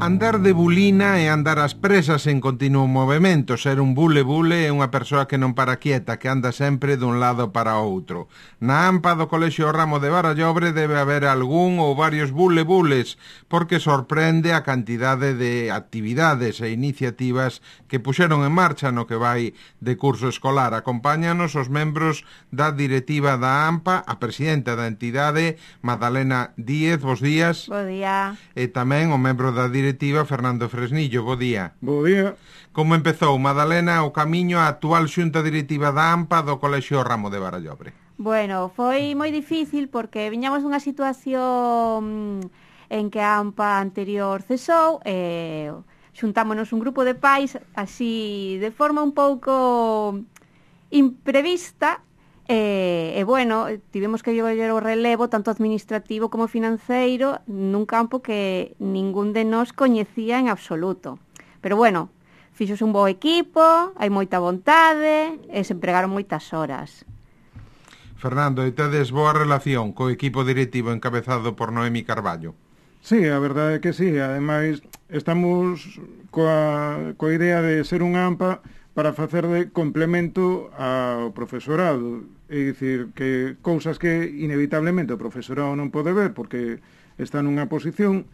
Andar de bulina e andar ás presas en continuo movimento. Ser un bule-bule é unha persoa que non para quieta, que anda sempre dun lado para outro. Na AMPA do Colexio Ramo de Barallobre debe haber algún ou varios bule-bules, porque sorprende a cantidade de actividades e iniciativas que puxeron en marcha no que vai de curso escolar. Acompáñanos os membros da directiva da AMPA, a presidenta da entidade, Madalena Díez, bos días. Bo día. E tamén o membro da directiva, Fernando Fresnillo, bo día. Bo día. Como empezou, Madalena, o camiño á actual xunta directiva da AMPA do Colexio Ramo de Barallobre? Bueno, foi moi difícil porque viñamos dunha situación en que a AMPA anterior cesou e xuntámonos un grupo de pais así de forma un pouco imprevista e bueno, tivemos que llevar o relevo tanto administrativo como financeiro nun campo que ningún de nós coñecía en absoluto. Pero bueno, fixose un bo equipo, hai moita vontade e se empregaron moitas horas. Fernando, e tedes boa relación co equipo directivo encabezado por Noemi Carballo? Sí, a verdade é que sí. Ademais, estamos coa idea de ser un AMPA para facer de complemento ao profesorado. É dicir, que cousas que inevitablemente o profesorado non pode ver porque está nunha posición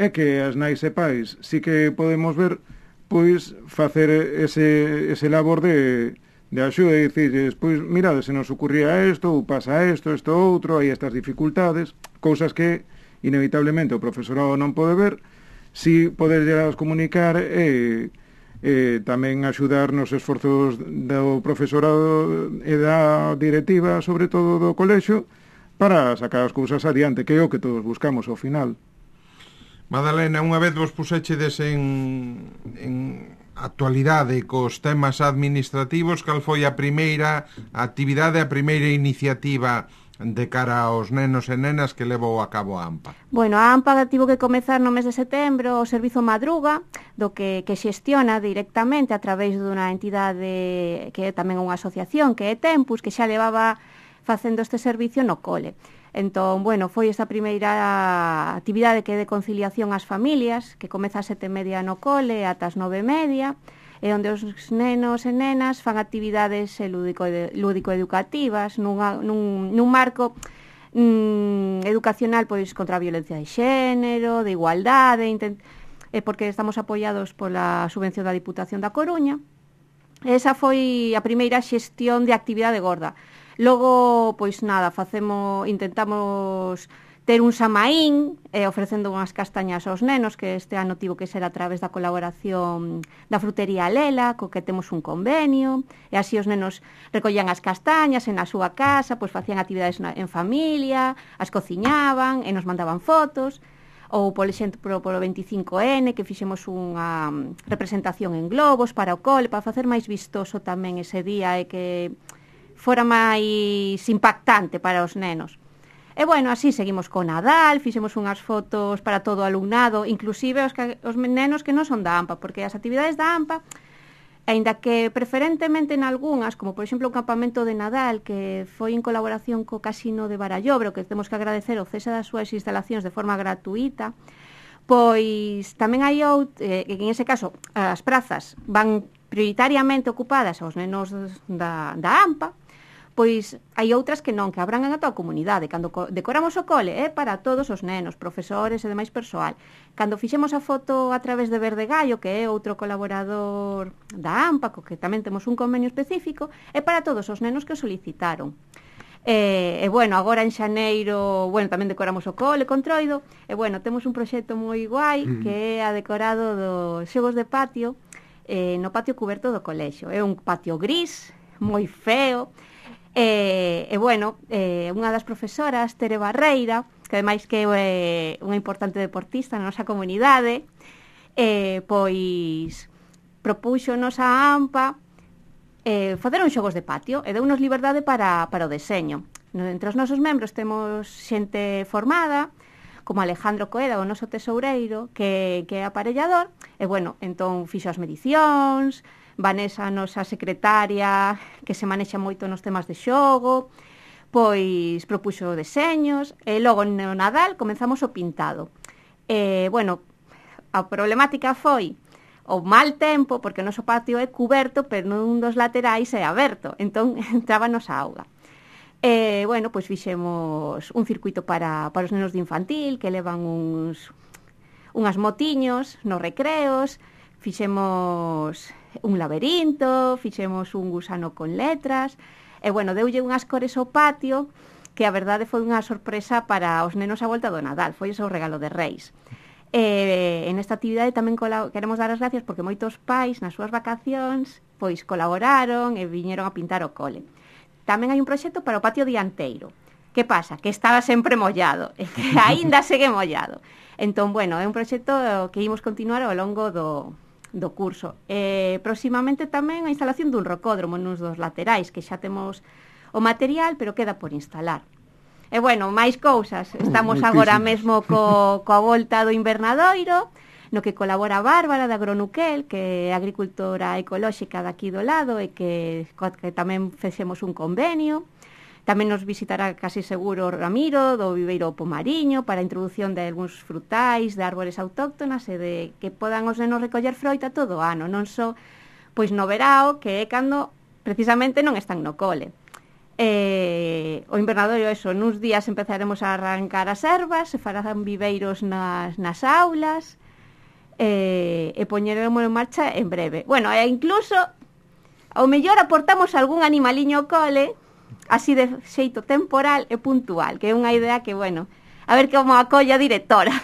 é que as nais e pais sí que podemos ver, pois, facer ese labor de axuda e dicir, pois, mirade, se nos ocurría isto, ou pasa isto outro, hai estas dificultades, cousas que inevitablemente o profesorado non pode ver, si poder llegar a comunicar e tamén axudar nos esforzos do profesorado e da directiva, sobre todo do colexio, para sacar as cousas adiante, que é o que todos buscamos ao final. Madalena, unha vez vos pusechedes en actualidade cos temas administrativos, cal foi a primeira actividade, a primeira iniciativa de cara aos nenos e nenas que levou a cabo a AMPA? Bueno, a AMPA tivo que comezar no mes de setembro o servizo Madruga, do que xestiona directamente a través dunha entidade que é tamén unha asociación, que é Tempus, que xa levaba facendo este servicio no cole. Entón, bueno, foi esta primeira actividade que é de conciliación ás familias, que comeza a 7:30 no cole ata as 9:30, e onde os nenos e nenas fan actividades lúdico-educativas nun marco educacional pois contra a violencia de xénero, de igualdade, porque estamos apoiados pola subvención da Diputación da Coruña. Esa foi a primeira xestión de actividade gorda. Logo, pois nada, intentamos ter un samaín ofrecendo unhas castañas aos nenos, que este ano tivo que ser a través da colaboración da frutería Lela, co que temos un convenio, e así os nenos recollían as castañas en a súa casa, pois facían actividades en familia, as cociñaban e nos mandaban fotos, ou, por exemplo, polo 25N, que fixemos unha representación en globos para o cole, para facer máis vistoso tamén ese día e que fora máis impactante para os nenos. E bueno, así seguimos con Nadal, fixemos unhas fotos para todo o alumnado, inclusive os nenos que non son da AMPA, porque as actividades da AMPA, aínda que preferentemente en algunhas, como por exemplo o campamento de Nadal, que foi en colaboración co Casino de Barallobre, que temos que agradecer o cese das súas instalacións de forma gratuita, pois tamén hai que en ese caso as prazas van prioritariamente ocupadas aos nenos da AMPA, pois hai outras que non, que abrangan a toda a comunidade. Cando decoramos o cole, para todos os nenos, profesores e demais persoal. Cando fixemos a foto a través de Verde Gallo, que é outro colaborador da AMPA, co que tamén temos un convenio específico, é para todos os nenos que o solicitaron. E bueno, agora en xaneiro, bueno, tamén decoramos o cole con Troido, e bueno, temos un proxecto moi guai, que é a decorado dos xogos de patio, no patio cuberto do colexio. É un patio gris, moi feo, e bueno, unha das profesoras, Tere Barreira, que ademais que é unha importante deportista na nosa comunidade, pois propúxonos a AMPA facer uns xogos de patio e deunos liberdade para o deseño. Entre os nosos membros temos xente formada, como Alejandro Coeda, o noso tesoureiro, que é aparellador, e bueno, entón fixo as medicións, Vanessa, a nosa secretaria, que se manexa moito nos temas de xogo, pois propuxo deseños, e logo no Nadal comenzamos o pintado. Bueno, a problemática foi o mal tempo, porque o noso patio é cuberto, pero nun dos laterais é aberto, entón entrábanos a auga. Bueno, pois fixemos un circuito para os nenos de infantil, que levan unhas motiños nos recreos, fixemos un laberinto, fixemos un gusano con letras, e bueno, deulle unhas cores ao patio, que a verdade foi unha sorpresa para os nenos a volta do Nadal, foi o seu regalo de Reis. En esta actividade tamén queremos dar as gracias porque moitos pais nas súas vacacións pois colaboraron e viñeron a pintar o cole. Tamén hai un proxecto para o patio dianteiro. Que pasa? Que estaba sempre mollado e que aínda segue mollado. Entón, bueno, é un proxecto que imos continuar ao longo do curso. Próximamente tamén a instalación dun rocódromo nos dos laterais, que xa temos o material, pero queda por instalar. E bueno, máis cousas. Estamos agora mesmo coa volta do invernadoiro, no que colabora Bárbara da Agronuquel, que é agricultora ecolóxica daqui do lado e que tamén fexemos un convenio. Tamén nos visitará casi seguro Ramiro do Viveiro Pomariño para a introducción de algúns frutais, de árbores autóctonas e de que podan os nenos recoller froita todo o ano, non só pois no verao, que é cando precisamente non están no cole. O invernadorio, nuns días empezaremos a arrancar as ervas, se farán viveiros nas aulas, e poñeremos en marcha en breve. Bueno, e incluso ao mellor aportamos algún animaliño ao cole, así de xeito temporal e puntual, que é unha idea que, bueno, a ver como acolla a directora.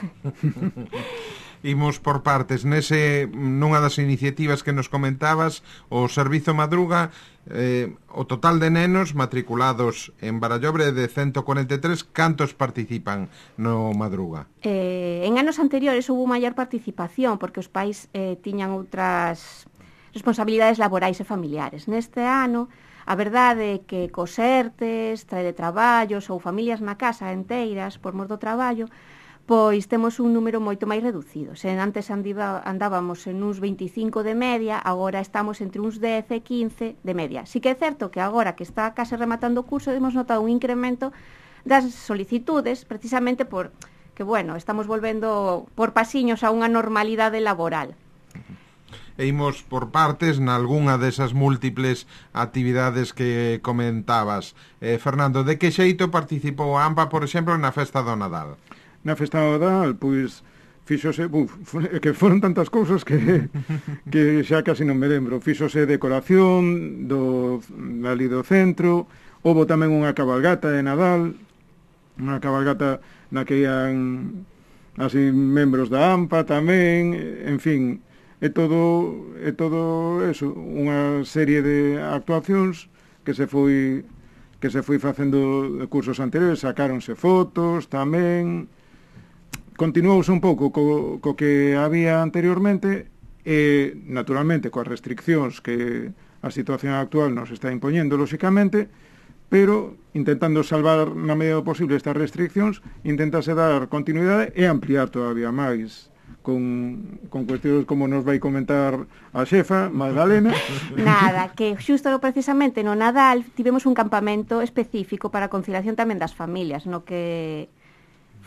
Imos por partes. Nunha das iniciativas que nos comentabas, o Servizo Madruga, o total de nenos matriculados en Barallobre de 143, cantos participan no Madruga? En anos anteriores houve maior participación, porque os pais tiñan outras responsabilidades laborais e familiares. Neste ano, a verdade é que cos ERTES, teletraballos ou familias na casa enteiras por mor do traballo, pois temos un número moito máis reducido. Se antes andábamos en uns 25 de media, agora estamos entre uns 10 e 15 de media. Si que é certo que agora que está case rematando o curso, hemos notado un incremento das solicitudes, precisamente porque, bueno, estamos volvendo por pasiños a unha normalidade laboral. E imos por partes nalgunha desas múltiples actividades que comentabas. Fernando, de que xeito participou a AMPA, por exemplo, na festa do Nadal? Na festa do Nadal, pois, fíxose, que foron tantas cousas que xa casi non me lembro. Fíxose decoración ali do centro, houve tamén unha cabalgata de Nadal, unha cabalgata na que ian así membros da AMPA tamén, en fin, é todo eso, unha serie de actuacións que se foi facendo de cursos anteriores, sacáronse fotos tamén. Continuouse un pouco co que había anteriormente e, naturalmente, coas restriccións que a situación actual nos está impoñendo, lóxicamente, pero intentando salvar na medida do posible estas restriccións, intentase dar continuidade e ampliar todavía máis con cuestións como nos vai comentar a xefa, Magdalena. Nada, que xusto precisamente no Nadal tivemos un campamento específico para a conciliación tamén das familias, no que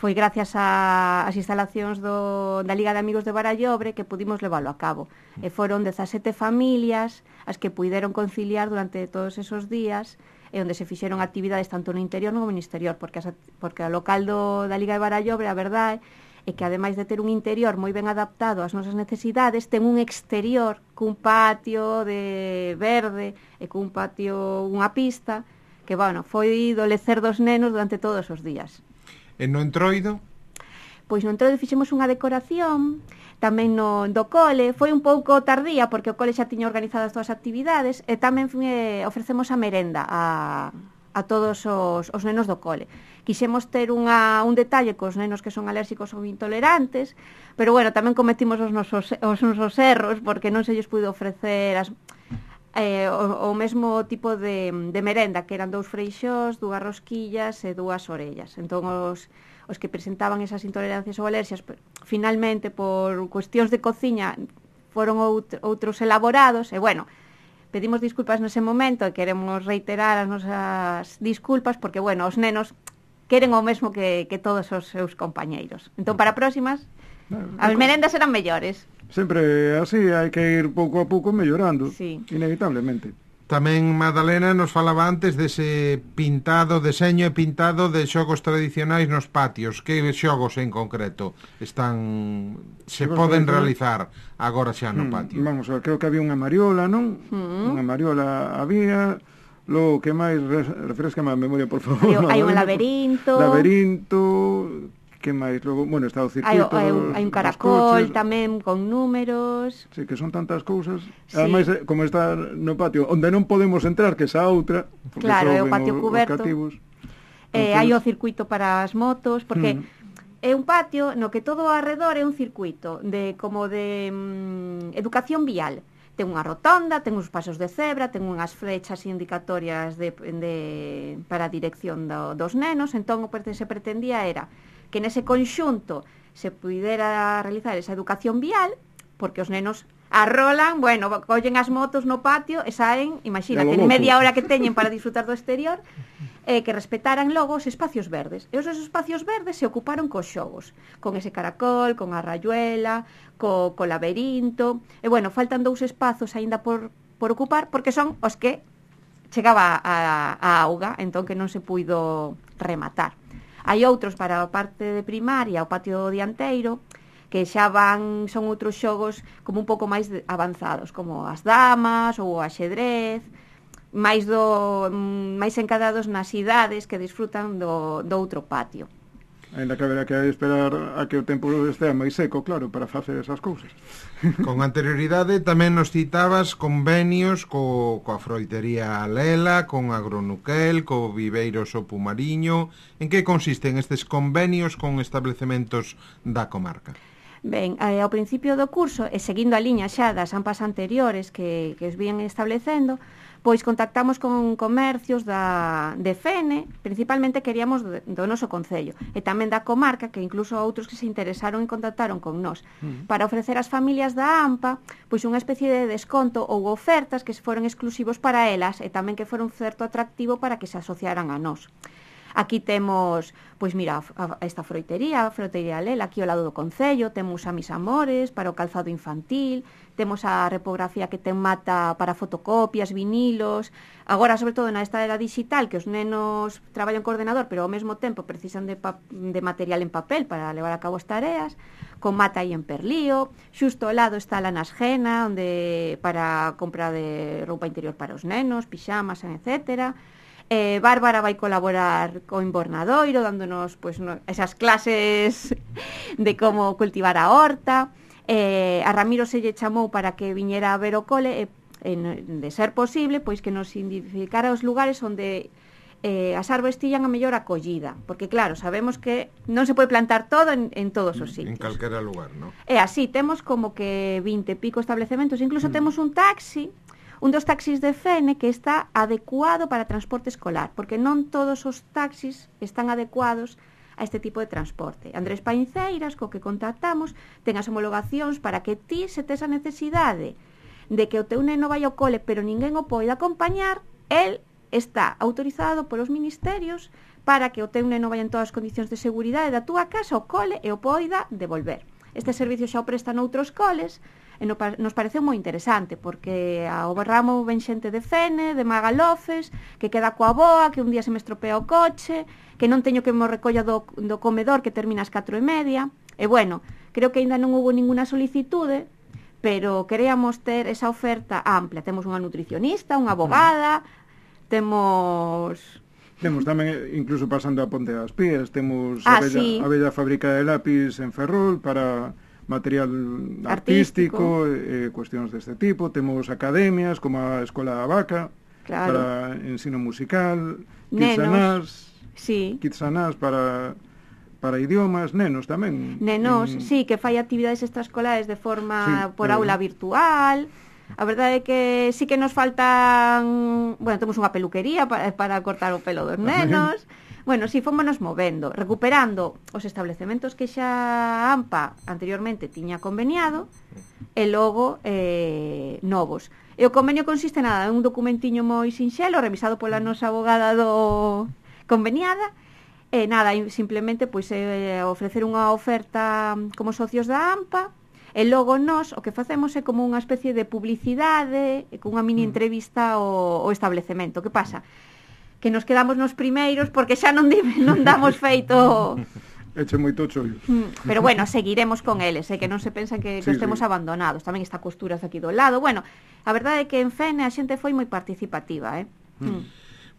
foi gracias ás instalacións da Liga de Amigos de Barallobre que pudimos leválo a cabo. E foron 17 familias as que puideron conciliar durante todos esos días e onde se fixeron actividades tanto no interior como no exterior, porque o local da Liga de Barallobre, a verdade, é que ademais de ter un interior moi ben adaptado ás nosas necesidades, ten un exterior cun patio de verde e cun patio, unha pista, que, bueno, foi do lecer dos nenos durante todos os días. E no Entroido? Pois no Entroido fixemos unha decoración, tamén do cole, foi un pouco tardía porque o cole xa tiña organizadas todas as actividades e tamén ofrecemos a merenda a todos os nenos do cole. Quixemos ter un detalle cos nenos que son alérxicos ou intolerantes, pero bueno, tamén cometimos os nosos erros porque non se lles puido ofrecer o mesmo tipo de merenda, que eran 2 freixós, 2 rosquillas e 2 orellas. Entón os que presentaban esas intolerancias ou alerxias, finalmente por cuestións de cociña foron outros elaborados e bueno, pedimos disculpas nese momento e queremos reiterar as nosas disculpas porque, bueno, os nenos queren o mesmo que todos os seus compañeiros. Entón, para próximas, As merendas eran mellores. Sempre así, hai que ir pouco a pouco mellorando, Sí. inevitablemente. Tamén Madalena nos falaba antes dese deseño e pintado de xogos tradicionais nos patios. Que xogos en concreto se Xogos poden tradicionais? realizar agora xa no patio? Vamos a ver, creo que había unha mariola, non? Unha mariola había. Logo, que máis? Refrescame a memoria, por favor. Hai un Madalena, laberinto. Laberinto. Que máis? Logo, bueno, está o circuito Hai un caracol coches. tamén con números. Sí, que son tantas cousas. Sí. Ademais, como está no patio, onde non podemos entrar, que esa outra, porque Claro, é o soben patio os cuberto. cativos. Hai o circuito para as motos, porque Mm. é un patio no que todo ao arredor é un circuito de educación vial. Ten unha rotonda, ten uns pasos de cebra, ten unhas flechas indicatorias para a dirección dos nenos. Entón, o que se pretendía era que nese conxunto se pudera realizar esa educación vial, porque os nenos arrolan, bueno, collen as motos no patio e saen, imagínate, en media hora que teñen para disfrutar do exterior, que respetaran logo os espacios verdes. E os espacios verdes se ocuparon cos xogos, con ese caracol, con a rayuela, co laberinto. E bueno, faltan 2 espazos aínda por ocupar, porque son os que chegaba a auga, entón que non se puido rematar. Hai outros para a parte de primaria, o patio dianteiro, que xa son outros xogos como un pouco máis avanzados, como as damas ou o axedrez, máis encadrados nas idades que disfrutan do outro patio. Ainda que haberá que esperar a que o tempo estea máis seco, claro, para facer esas cousas. Con anterioridade tamén nos citabas convenios coa froitería Lela, con Agronuquel, co Viveiro Sopo Mariño. En que consisten estes convenios con establecementos da comarca? Ben, ao principio do curso, e seguindo a liña xa das AMPAs anteriores que os vían establecendo, pois contactamos con comercios de Fene, principalmente queríamos do noso concello, e tamén da comarca, que incluso outros que se interesaron e contactaron con nós, para ofrecer ás familias da AMPA pois unha especie de desconto ou ofertas que foron exclusivos para elas e tamén que foron certo atractivo para que se asociaran a nós. Aquí temos, pois mira, esta froitería, a froitería Lela, aquí ao lado do concello, temos a Mis Amores para o calzado infantil, temos a repografía que ten mata para fotocopias, vinilos. Agora, sobre todo, na esta era digital, que os nenos traballan co ordenador, pero ao mesmo tempo precisan de material en papel para levar a cabo as tareas, con mata aí en Perlío. Xusto ao lado está a Lanasgena, onde para compra de roupa interior para os nenos, pixamas, etcétera. Bárbara vai colaborar co Inbornadoiro, dándonos esas clases de como cultivar a horta. A Ramiro se lle chamou para que viñera a ver o cole, de ser posible, pois que nos identificara os lugares onde as árbores tiñan a mellor acollida, porque claro, sabemos que non se pode plantar todo en todos os sitios. En calquera lugar, non? E así, temos como que 20 e pico establecementos, incluso temos un taxi, un dos taxis de Fene que está adecuado para transporte escolar, porque non todos os taxis están adecuados a este tipo de transporte. Andrés Painceiras, co que contactamos, ten as homologacións para que ti, se tes a necesidade de que o teu neno vai ao cole, pero ninguén o poida acompañar, el está autorizado polos ministerios para que o teu neno vai en todas as condicións de seguridade da túa casa ao cole e o poida devolver. Este servicio xa o prestan outros coles, e nos pareceu moi interesante, porque ao ramo ven xente de Fene, de Magalofes, que queda coa boa, que un día se me estropea o coche, que non teño que me recolla do comedor que termina ás 4:30, e bueno, creo que aínda non houve ninguna solicitude, pero queríamos ter esa oferta amplia. Temos unha nutricionista, unha abogada, temos tamén, incluso pasando a Ponte das Pías, temos a bella fábrica de lápiz en Ferrol para material artístico, cuestións deste tipo. Temos academias como a Escola da Vaca, claro, para ensino musical, Kitsanás para idiomas, nenos tamén. Nenos, sí, que fai actividades extraescolares de forma por aula virtual. A verdade é que sí que nos faltan, bueno, temos unha peluquería para cortar o pelo dos nenos. Bueno, si fómonos movendo, recuperando os establecementos que xa AMPA anteriormente tiña conveniado e logo novos. E o convenio consiste nada, en un documentiño moi sinxelo revisado pola nosa abogada conveniada, E nada, simplemente pois ofrecer unha oferta como socios da AMPA, e logo nós o que facemos é como unha especie de publicidade, con unha mini entrevista ao establecemento. Que pasa? Que nos quedamos nos primeiros porque xa non damos feito... Eche moito chollo. Pero bueno, seguiremos con eles, que non se pensan que estemos abandonados. Tamén está Costuras aquí do lado. Bueno, a verdade é que en Fene a xente foi moi participativa,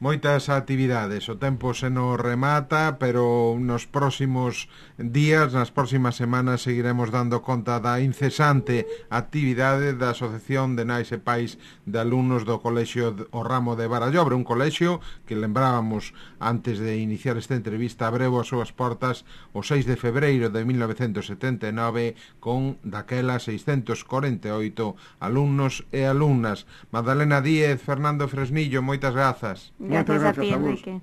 Moitas actividades, o tempo se nos remata, pero nos próximos días, nas próximas semanas, seguiremos dando conta da incesante actividade da Asociación de Nais e Pais de Alumnos do Colexio O Ramo de Barallobre, un colexio que lembrábamos antes de iniciar esta entrevista, abreu as súas portas o 6 de febreiro de 1979 con daquela 648 alumnos e alumnas. Magdalena Díez, Fernando Fresnillo, moitas grazas. Gracias a ti, Enrique.